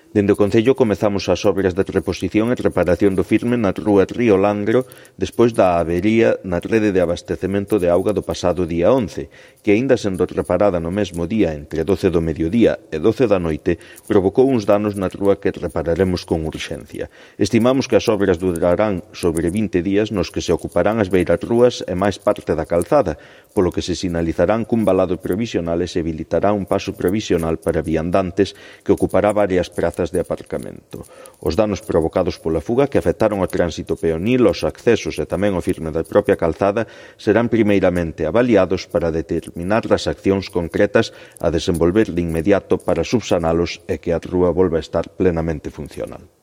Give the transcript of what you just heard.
Dende o Concello comezamos as obras de reposición e reparación do firme na rúa Río Langro despois da avería na rede de abastecemento de auga do pasado día 11, que aínda sendo reparada no mesmo día entre 12 do mediodía e 12 da noite, provocou uns danos na rúa que repararemos con urxencia. Estimamos que as obras durarán sobre 20 días nos que se ocuparán as beiras rúas e máis parte da calzada, polo que se sinalizarán cun valado provisional e se habilitará un paso provisional para viandantes que ocupará varias prazas de aparcamento. Os danos provocados pola fuga que afectaron o tránsito peonil, os accesos e tamén o firme da propia calzada serán primeiramente avaliados para determinar as accións concretas a desenvolver de inmediato para subsanalos e que a rúa volva a estar plenamente funcional.